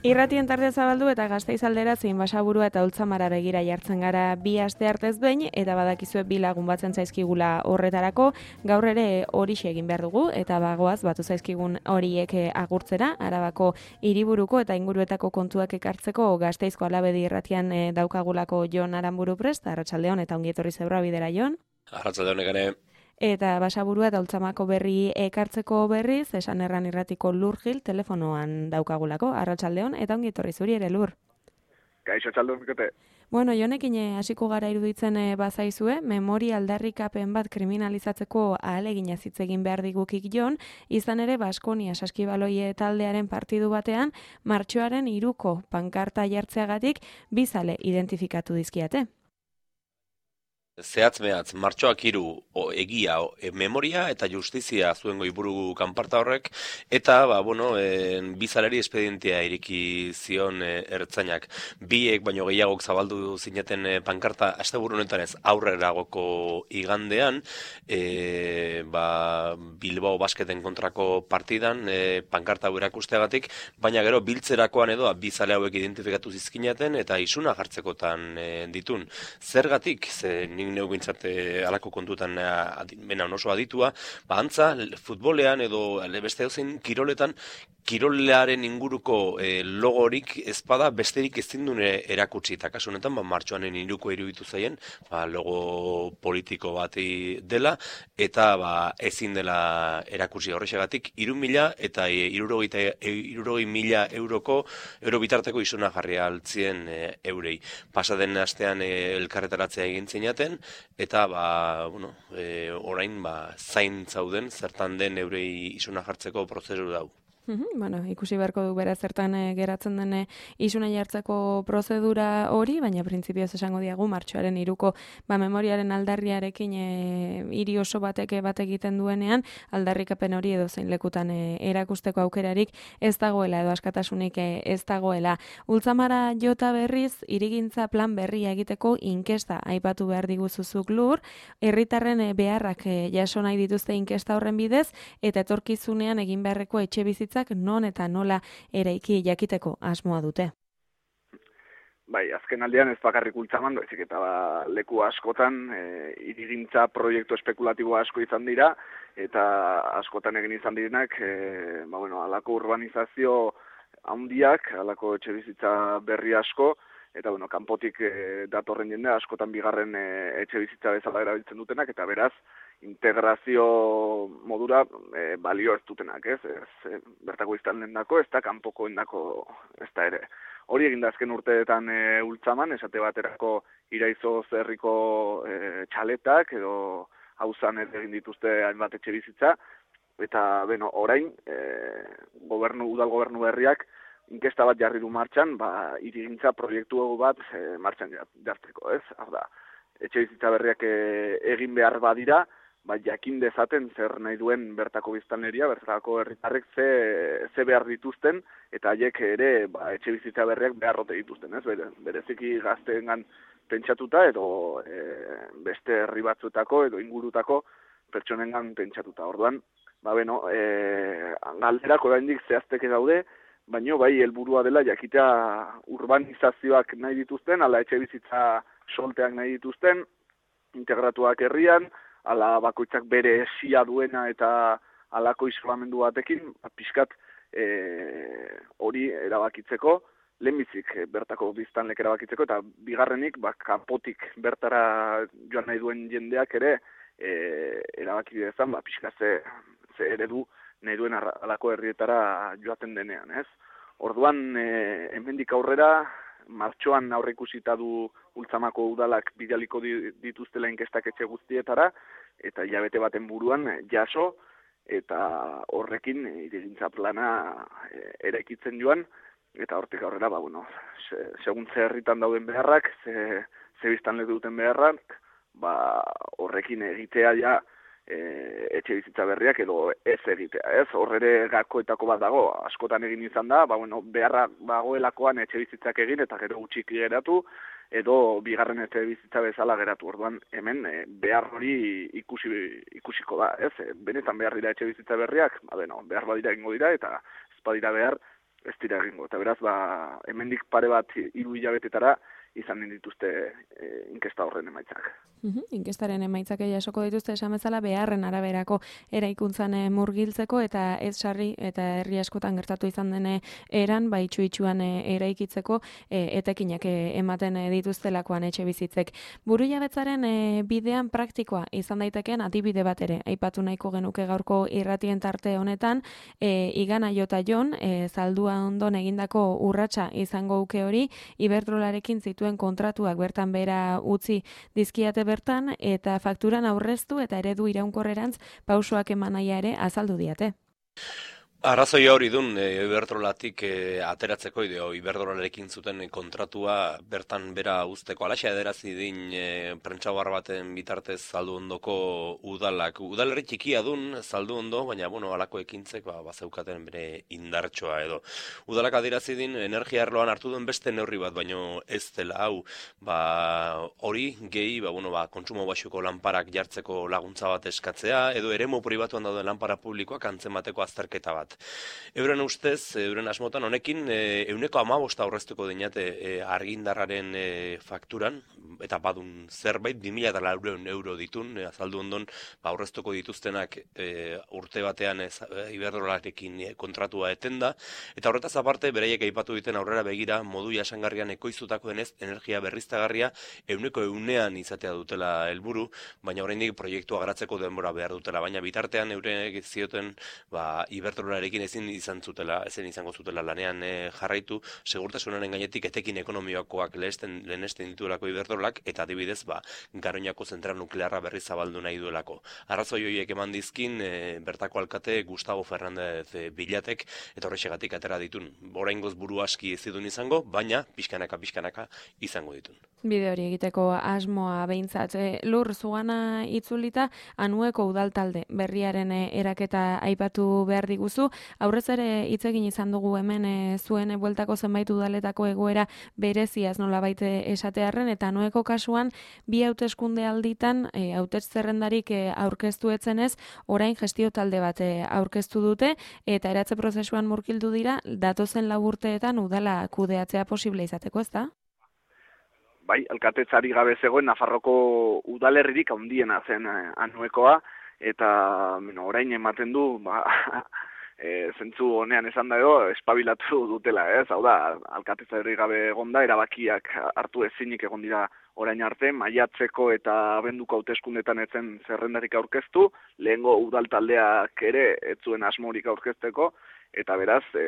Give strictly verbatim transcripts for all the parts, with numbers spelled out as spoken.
Irratien tartea zabaldu eta Gasteiz aldera zein Basaburua eta Ultzamara begira jartzen gara bi aste artez behin, eta badakizue bi lagun batzen zaizkigula horretarako, gaur ere horixe egin behar dugu, eta bagoaz batu zaizkigun horiek agurtzera, Arabako hiriburuko eta inguruetako kontuak ekartzeko Gasteizko Alabedi irratian daukagulako Jon Aranburu prest, arratsaldeon eta ongi etorri Zebra bidera Jon. Arratsaldeon ere. Eta Basaburua eta Ultzamako berri ekartzeko berriz, esan erran irratiko Lur Gil telefonoan daukagulako, arratsaldeon eta ongi etorri zuri ere Lur. Gaixo txaldo mikete. Bueno, Jonekin hasiko gara iruditzen bazaizue, memoria aldarrikapen bat kriminalizatzeko ahalegina hitz egin behar digukik Jon, izan ere Baskonia Saskibaloie taldearen partidu batean, martxoaren hiruko pankarta jartzeagatik bi zale identifikatu dizkiate. Zehatz mehatz, martxoak hiru egia, o, e, memoria eta justizia zuen goiburu kanparta horrek, eta, ba, bueno, e, bizaleri espedientia iriki zion e, ertzainak. Biek baino gehiagok zabaldu zineten e, pankarta, asteburu honetan ez aurreragoko igandean, e, ba, Bilbao Basketen kontrako partidan, e, pankarta hau erakusteagatik, baina gero biltzerakoan edo bizale hauek identifikatu zizkinaten eta isuna jartzekotan e, ditun. Zergatik, ze nik neu bintzat alako kontutan bena oso aditua, ba antza, futbolean edo beste dozein kiroletan, kirolearen inguruko e, logorik ezpada besterik ezin dune erakutsi, eta kasu honetan ba, martxoanen hiruko iruditu zaien, ba, logo politiko bati dela, eta ba, ezin dela erakutsi horrexegatik, hiru mila eta hirurogei mila euroko euro bitarteko isuna jarri altzien e, eurei. Pasaden astean e, elkarretaratzea egin zinaten, eta ba, bueno, e, orain ba, zain zauden zertan den eurei isuna jartzeko prozesu dau. Uhum, bueno, ikusi beharko du bera zertan e, geratzen den e, isuna jartzeko prozedura hori, baina printzipioz esango diagu martxoaren hiruko ba, memoriaren aldarriarekin e, hiri oso batek bat egiten duenean, aldarrikapen hori edo zein lekutan e, erakusteko aukerarik ez dagoela edo askatasunik e, ez dagoela. Ultzamara jota berriz, hirigintza plan berria egiteko inkesta aipatu behar diguzuzuk Lur, herritarren e, beharrak e, jaso nahi dituzte inkesta horren bidez, eta etorkizunean egin beharreko etxe bizitza non eta nola eraiki jakiteko asmoa dute. Bai, azken aldean ez bakarrik Ultzaman, baizik eta ba, leku askotan e, hirigintza proiektu espekulatibo asko izan dira, eta askotan egin izan direnak, e, ba, bueno, alako urbanizazio handiak, alako etxe bizitza berri asko, eta bueno, kanpotik e, datorren jende askotan bigarren e, etxe bizitza bezala erabiltzen dutenak, eta beraz, integrazio modura e, balio ez dutenak, ez? ez e, bertako izan dendako, ez da kanpoko endako, ez da ere. Hori egin da azken urteetan e, Ultzaman, esate baterako Iraizo zerriko e, txaletak, edo hauzan ez egin dituzte hainbat etxe bizitza, eta beno, orain, e, gobernu, udal gobernu berriak, inkesta bat jarri du martxan, ba, hirigintza proiektu bat e, martxan jartzeko, ez? Hau da, etxe bizitza berriak e, egin behar badira, ba, jakin dezaten zer nahi duen bertako biztanleria, bertako herritarrek ze, ze behar dituzten, eta haiek ere ba, etxe bizitza berriak beharrote dituzten, ez? Bere, bereziki gazteengan pentsatuta, edo e, beste herri batzuetako, edo ingurutako pertsonengan pentsatuta. Orduan, ba, beno, e, galderak oraindik zehazteke daude, baino bai helburua dela jakitea urbanizazioak nahi dituzten, ala etxe bizitza solteak nahi dituzten, integratuak herrian, ala bakoitzak bere esia duena eta alako isolamendu batekin, pixkat e, hori erabakitzeko, lehenbizik bertako biztanlek erabakitzeko, eta bigarrenik, ba, kanpotik bertara joan nahi duen jendeak ere e, erabaki dezan, ba, pixkat ze, ze eredu nahi duen alako herrietara joaten denean, ez? Orduan, e, hemendik aurrera, martxoan aurreikusita du Ultzamako udalak bidaliko dituztela inkestak etxe guztietara, eta hilabete baten buruan jaso, eta horrekin hirigintza plana eraikitzen joan, eta hortik aurrera, ba, bueno, se, segun ze herritan dauden beharrak, ze, ze biztanle duten beharrak, ba, horrekin egitea ja e, etxe bizitza berriak edo ez egitea, ez? Horrere gakoetako bat dago, askotan egin izan da, ba, bueno, beharra bagoelakoan etxe bizitzak egin eta gero gutxik geratu, edo bigarren etxe bizitza bezala geratu. Orduan hemen e, behar hori ikusi, ikusiko da, ez? E, benetan behar dira etxe bizitza berriak, ba, beno, behar badira ingo dira, eta ez badira behar, ez dira egingo. Eta beraz, ba, hemendik pare bat hiru hilabetetara izan dituzte e, inkesta horren emaitzak. Uhum, inkestaren emaitzak jasoko dituzte esan bezala beharren araberako eraikuntzan murgiltzeko eta ez sarri eta herri askotan gertatu izan dene eran bai itxu-itxuan eraikitzeko e, etekinak ematen dituztelakoan etxe bizitzek. Burujabetzaren e, bidean praktikoa izan daitekeen adibide bat ere aipatu nahiko genuke gaurko irratien tarte honetan e, Igana Jota Jon e, zaldua ondon egindako urratsa izango uke hori Iberdrolarekin zituen kontratuak bertan bera utzi dizkiate bertan eta fakturan aurreztu eta eredu iraunkorrerantz pausoak eman naia ere azaldu diate. Arrazoia hori dun, e, Iberdrolatik e, ateratzeko ideo, Iberdrolarekin zuten kontratua bertan bera uzteko. Alaxa ederazi din e, prentsabar baten bitartez zaldu ondoko udalak. Udalerri txikia dun, zaldu ondo, baina bueno, alako ekintzek ba, bazeukaten bere indartsoa edo. Udalak adirazi din, energia arloan hartu duen beste neurri bat, baino ez dela hau, ba, hori gehi, ba, bueno, ba, kontsumo baxuko lanparak jartzeko laguntza bat eskatzea, edo eremu pribatuan dauden lanpara publikoak antzemateko azterketa bat. Euren ustez, euren asmotan honekin, e, euneko hamabosta aurreztuko dinate e, argindarraren e, fakturan, eta badun zerbait, bi mila laurehun euro ditun, e, azaldu ondon, ba, aurreztuko dituztenak e, urte batean e, Iberdrolarekin e, kontratua etenda, eta horretaz aparte, beraiek aipatu diten aurrera begira, modu jasangarrian ekoiztutako denez, energia berriztagarria euneko eunean izatea dutela helburu, baina oraindik proiektua garatzeko denbora behar dutela, baina bitartean eurenek zioten ba, Iberdrolarekin ezin izan zutela, ezin izango zutela lanean e, jarraitu, segurtasunaren gainetik etekin ekonomikoak lehesten, lehenesten dituelako Iberdrolak, eta adibidez, ba, Garoñako zentral nuklearra berri zabaldu nahi duelako. Arrazoi horiek eman dizkin, e, bertako alkate Gustavo Fernández e, Bilatek, eta horrexegatik atera ditun. Oraingoz buru aski ez didun izango, baina pixkanaka pixkanaka izango ditun. Bide hori egiteko asmoa behintzat. E, lur zugana itzulita, Anueko udaltalde berriaren e, eraketa aipatu behar diguzu. Aurrez ere hitz egin izan dugu hemen e, zuen e, bueltako zenbait udaletako egoera bereziaz nolabait esatearren, eta Anueko kasuan bi hauteskunde alditan e, hautets zerrendarik e, aurkeztu etzenez, orain gestio talde bat e, aurkeztu dute eta eratze prozesuan murgildu dira datozen lau urteetan udala kudeatzea posible izateko, ezta? Bai, alkatetzari gabe zegoen Nafarroko udalerririk handiena zen eh, Anuekoa, eta bueno, orain ematen du, ba, e, zentzu honean esan da edo, espabilatu dutela, ez? Hau da, alkatetzari gabe egonda, erabakiak hartu ezinik egon dira orain arte, maiatzeko eta abenduko hauteskundetan etzen zerrendarik aurkeztu, lehengo udal taldeak ere ez zuen asmorik aurkezteko, eta beraz, e,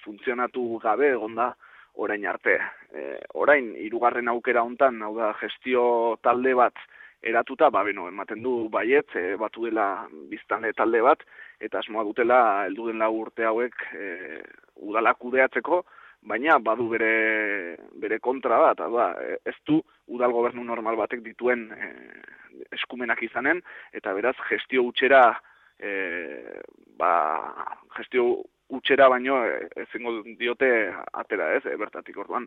funtzionatu gabe egonda orain arte. E, orain, hirugarren aukera hontan, hau da, gestio talde bat eratuta, ba, beno, ematen du baiet, e, batu dela biztanle talde bat, eta asmoa dutela heldu den lau urte hauek e, udala kudeatzeko, baina badu bere, bere kontra bat, da, ez du udal gobernu normal batek dituen e, eskumenak izanen, eta beraz gestio utxera, e, ba, gestio utxera baino ezingo diote atera, ez, e, bertatik orduan.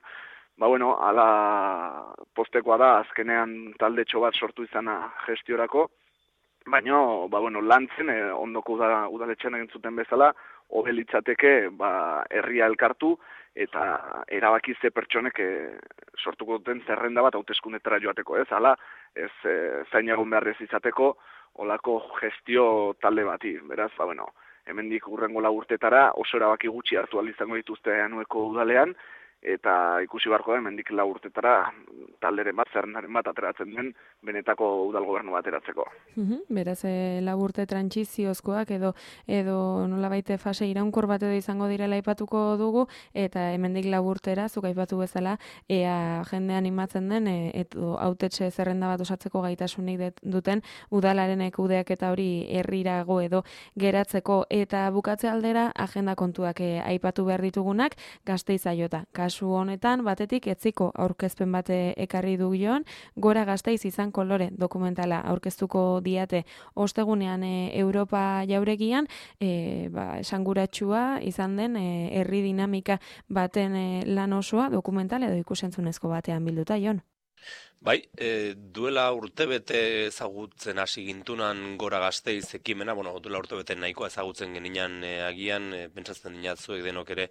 Ba, bueno, ala postekoa da, azkenean taldetxo bat sortu izana gestiorako, baina, ba, bueno, lantzen, e, ondoko uda, udaletxean egin zuten bezala, hobe litzateke, ba, herria elkartu, eta erabaki ze pertsonek e, sortuko duten zerrenda bat hauteskundetara joateko, ez, ala, ez e, zain egon behar ez izateko, olako gestio talde bati, beraz, ba, bueno, hemendik hurrengo lau urtetara oso erabaki gutxi hartu ahal izango dituzte Anueko udalean, eta ikusi beharko da hemendik lau urtetara talderen bat, zerrendaren bat ateratzen den benetako udal gobernu bat eratzeko. Uhum, beraz, e, lau urte trantsiziozkoak edo edo nolabait fase iraunkor bat edo izango direla aipatuko dugu, eta hemendik lau urtera, zuk aipatu bezala, ea jende animatzen den, e, edo hautetxe zerrenda bat osatzeko gaitasunik duten udalaren kudeaketa hori herrirago edo geratzeko, eta bukatze aldera agenda kontuak e, aipatu behar ditugunak, Gasteiza jota. Kasu honetan, batetik etziko aurkezpen bate ekarri du joan, Gora Gasteiz izan kolore dokumentala aurkeztuko diate ostegunean e, Europa jauregian, e, ba, esanguratsua izan den e, herri dinamika baten e, lan osoa dokumental edo ikusentzunezko batean bilduta, Jon. Bai, e, duela urtebete ezagutzen hasi gintunan Gora Gasteiz ekimena, bueno, duela urtebete nahikoa ezagutzen geninan e, agian, e, pentsatzen dinatzuek denok ere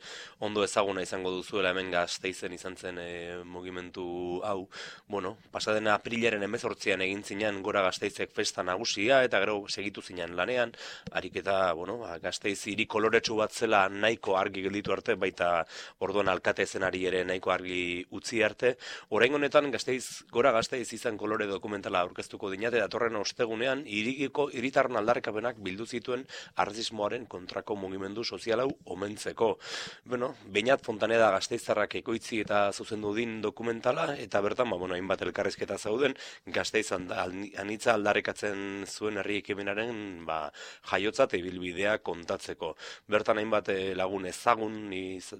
ondo ezaguna izango duzuela hemen Gasteizen izan zen e, mugimendu hau. Bueno, pasaden aprilaren hemezortzian egin zinan Gora Gasteizek festa nagusia eta gero segitu zinan lanean, ariketa, bueno, Gasteiz hiri koloretsu bat zela nahiko argi gelditu arte, baita orduan alkate zenari ere nahiko argi utzi arte. Orain honetan Gasteiz Gora Gasteiz izan kolore dokumentala aurkeztuko dinate, datorren ostegunean hirigiko hiritarren aldarrikapenak bildu zituen arrazismoaren kontrako mugimendu sozial hau omentzeko. Bueno, Beñat Fontaneda Gasteiztarrak ekoitzi eta zuzendu din dokumentala, eta bertan, ba, bueno, hainbat elkarrizketa zauden, Gasteiz anitza aldarrikatzen zuen herri ekimenaren ba, jaiotza eta ibilbidea kontatzeko. Bertan hainbat lagun ezagun iz,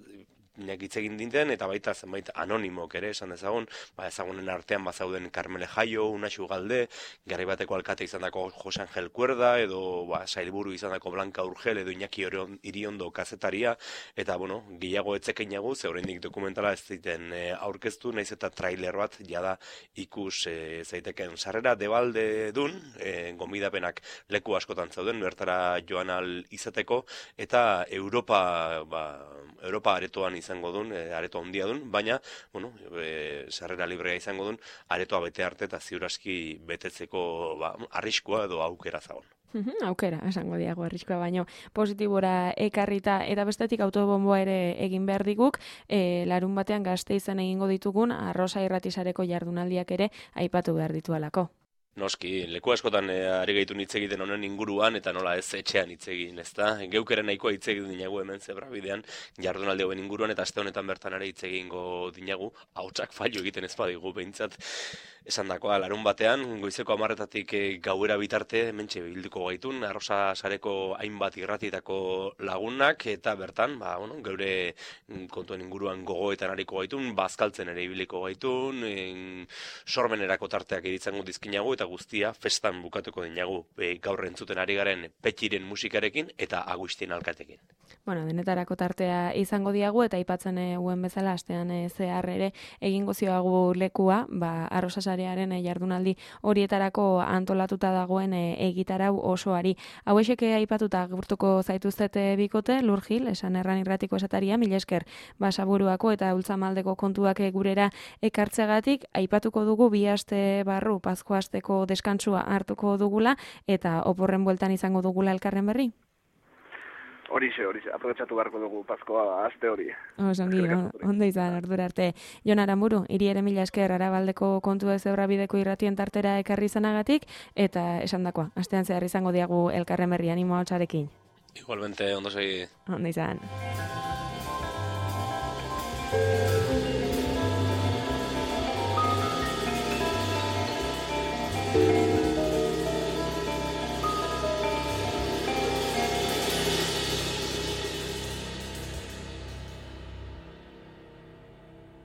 Inak hitz egin dinten, eta baita zenbait anonimok ere esan dezagun, ba, ezagunen artean bazauden Carmele Jaio, Unaxu Galde, garri bateko alkate izan dako Jose Angel Cuerda, edo ba, sailburu izan dako Blanca Urgel, edo Iñaki Iriondo kazetaria, eta bueno, gehiago etzekein jagu, ze oraindik dokumentala ez ziten e, aurkeztu, naiz eta trailer bat jada ikus e, zaiteken sarrera debalde dun, e, gomidapenak leku askotan zauden, bertara joan al izateko, eta Europa, ba, Europa aretoan izango dun, e, areto handia dun, baina, bueno, e, sarrera librea izango dun, aretoa bete arte eta ziuraski betetzeko ba, arriskua edo aukera zagon. Aukera, esango diago arriskua, baino positibora ekarrita eta bestetik autobomboa ere egin behar diguk, e, larun batean Gasteizen egingo ditugun arrosa irratisareko jardunaldiak ere aipatu behar ditualako. Noski, leku askotan e, ari gaitu hitz egiten honen inguruan, eta nola ez etxean hitz egin, ezta? Geukeren nahikoa hitz egin dinagu hemen Zebrabidean jardunaldi hauen inguruan, eta aste honetan bertan ere hitz egingo dinagu, ahotsak fallo egiten ez badigu behintzat. Esan dakoa, larun batean, goizeko hamarretatik e, gauera bitarte, hementxe bilduko gaitun, arrosa sareko hainbat irratietako lagunak, eta bertan, ba, bueno, geure kontuen inguruan gogoetan ariko gaitun, bazkaltzen ere ibiliko gaitun, en, sormenerako tarteak editzango dizkinagu, eta guztia festan bukatuko dinagu, e, gaur entzuten ari garen Petxiren musikarekin eta Agustin alkatekin. Bueno, denetarako tartea izango diagu, eta aipatzen eguen bezala, astean e, zehar ere egingo zioagu lekua, ba, arrosasarearen e, jardunaldi horietarako antolatuta dagoen e, egitarau osoari. Hauexeke aipatuta gurtuko zaituztete bikote, Lur Gil, esan erran irratiko esataria, mila esker Basaburuako eta Ultzamaldeko kontuak gurera ekartzegatik, aipatuko dugu bi aste barru, Pazko asteko deskantsua hartuko dugula, eta oporren bueltan izango dugula elkarren berri. Horixe, horixe, aprobetxatu beharko dugu Pazkoa aste hori. Osongi, ondo izan, ardura arte. Jon Aramburu, hiri ere mila esker Arabaldeko kontua Zebrabideko irratien tartera ekarri izanagatik, eta esan dakoa, astean zehar izango diagu elkarren berri animo hotzarekin. Igualmente, ondo segi. Ondo izan. Thank you.